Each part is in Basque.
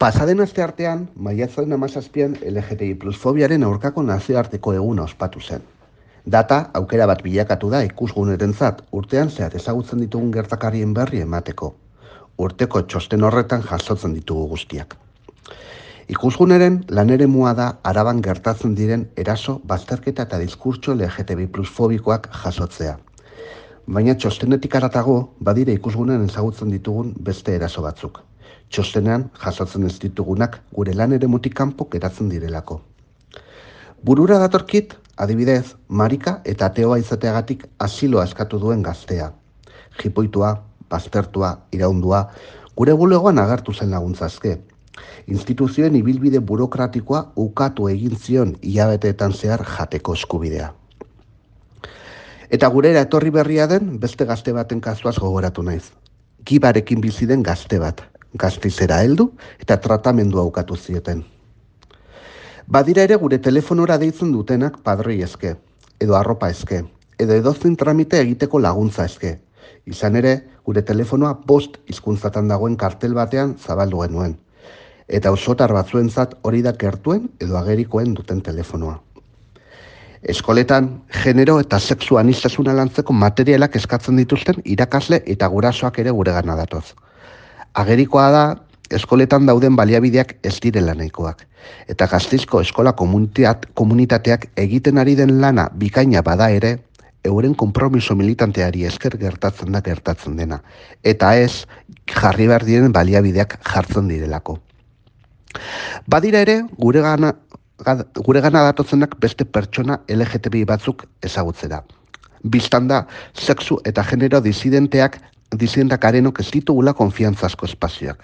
Pasaden asteartean, maiatzaren 17an LGTBI plus fobiaren aurkako nazioarteko eguna ospatu zen. Data aukera bat bilakatu da ikusgunerentzat urtean zehar ezagutzen ditugun gertakarien berri emateko. Urteko txosten horretan jasotzen ditugu guztiak. Ikusguneren laneremua da Araban gertatzen diren eraso, bazterketa eta diskurtso LGTBI plus fobikoak jasotzea. Baina txostenetik haratago badire ikusgunen ezagutzen ditugun beste eraso batzuk. Txostenean jasotzen ez ditugunak gure laneremutik kanpo geratzen direlako. Burura datorkit, adibidez, marika eta ateoa izateagatik asiloa eskatu duen gaztea. Jipoitua, baztertua, iraundua, gure bulegoan agertu zen laguntzazke. Instituzioen ibilbide burokratikoa ukatu egin zion hilabeteetan zehar jateko eskubidea. Eta gurera etorri berria den beste gazte baten kasuaz gogoratu naiz. Gibarekin bizi den gazte bat, Gasteizera heldu eta tratamendua ukatu zieten. Badira ere gure telefonora deitzen dutenak padroi eske, edo arropa eske, edo edozein tramite egiteko laguntza eske. Izan ere, gure telefonoa 5 hizkuntzatan dagoen kartel batean zabaldu genuen. Eta osotar batzuentzat hori da gertuen edo agerikoen duten telefonoa. Eskoletan, genero eta sexu aniztasuna lantzeko materialak eskatzen dituzten irakasle eta gurasoak ere guregana datoz. Agerikoa da, eskoletan dauden baliabideak ez direla nahikoak. Eta Gasteizko eskola komunitateak egiten ari den lana bikaina bada ere, euren konpromiso militanteari esker gertatzen dena. Eta ez, jarri behar diren baliabideak jartzen direlako. Badira ere, guregana datozenak beste pertsona LGTBI batzuk ezagutzera. Biztanda, sexu eta genero disidentak arenok ez ditugula konfiantzazko espazioak.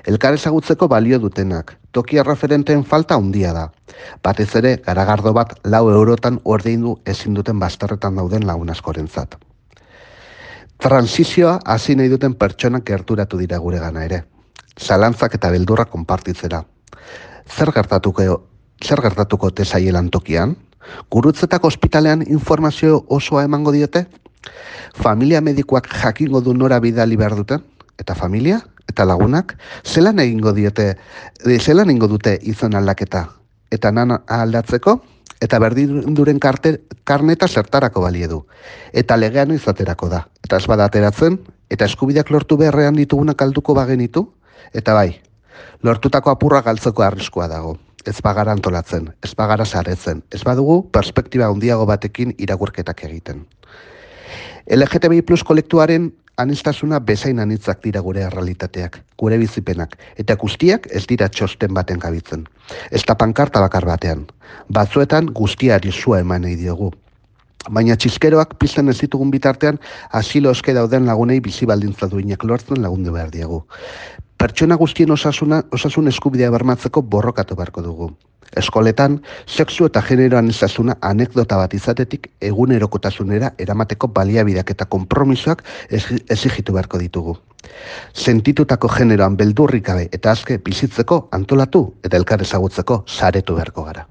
Elkar ezagutzeko balio dutenak, toki erreferenteen falta handia da. Batez ere, garagardo bat 4 eurotan ordaindu ezin duten bazterretan dauden lagun askorentzat. Transizioa hasi nahi duten pertsonak gerturatu dira guregana ere. Zalantzak eta beldurra konpartitzera. Zer gertatuko te zaielan tokian? Gurutzetako ospitalean informazio osoa emango diote? Familia medikoak jakingo du nora bidali behar duten? Eta familia? Eta lagunak? Zelan egingo dute izan aldaketa? Eta nan aldatzeko? Eta berdinduren karneta zertarako balie du? Eta legean izaterako da? Eta ez bada ateratzen? Eta eskubideak lortu beharrean ditugunak alduko bagenitu? Eta bai, lortutako apurra galtzeko arriskua dago. Ez bagara antolatzen, ez bagara saretzen, ez badugu perspektiba handiago batekin irakurketak egiten. LGTBI plus kolektuaren aniztasuna bezain anitzak dira gure errealitateak, gure bizipenak, eta guztiak ez dira txosten baten gabitzen. Ez da pankarta bakar batean, batzuetan guztiari sua eman nahi diogu. Baina txiskeroak pizten ez ditugun bitartean asilo eske dauden lagunei bizi baldintza duinak lortzen lagundu behar diegu. Pertsona guztien osasun eskubidea bermatzeko borrokatu beharko dugu. Eskoletan, sexu eta genero aniztasuna anekdota bat izatetik egunerokotasunera eramateko baliabideak eta konpromisoak exigitu beharko ditugu. Sentitutako generoan beldurrik gabe eta azke bizitzeko antolatu eta elkar ezagutzeko saretu beharko gara.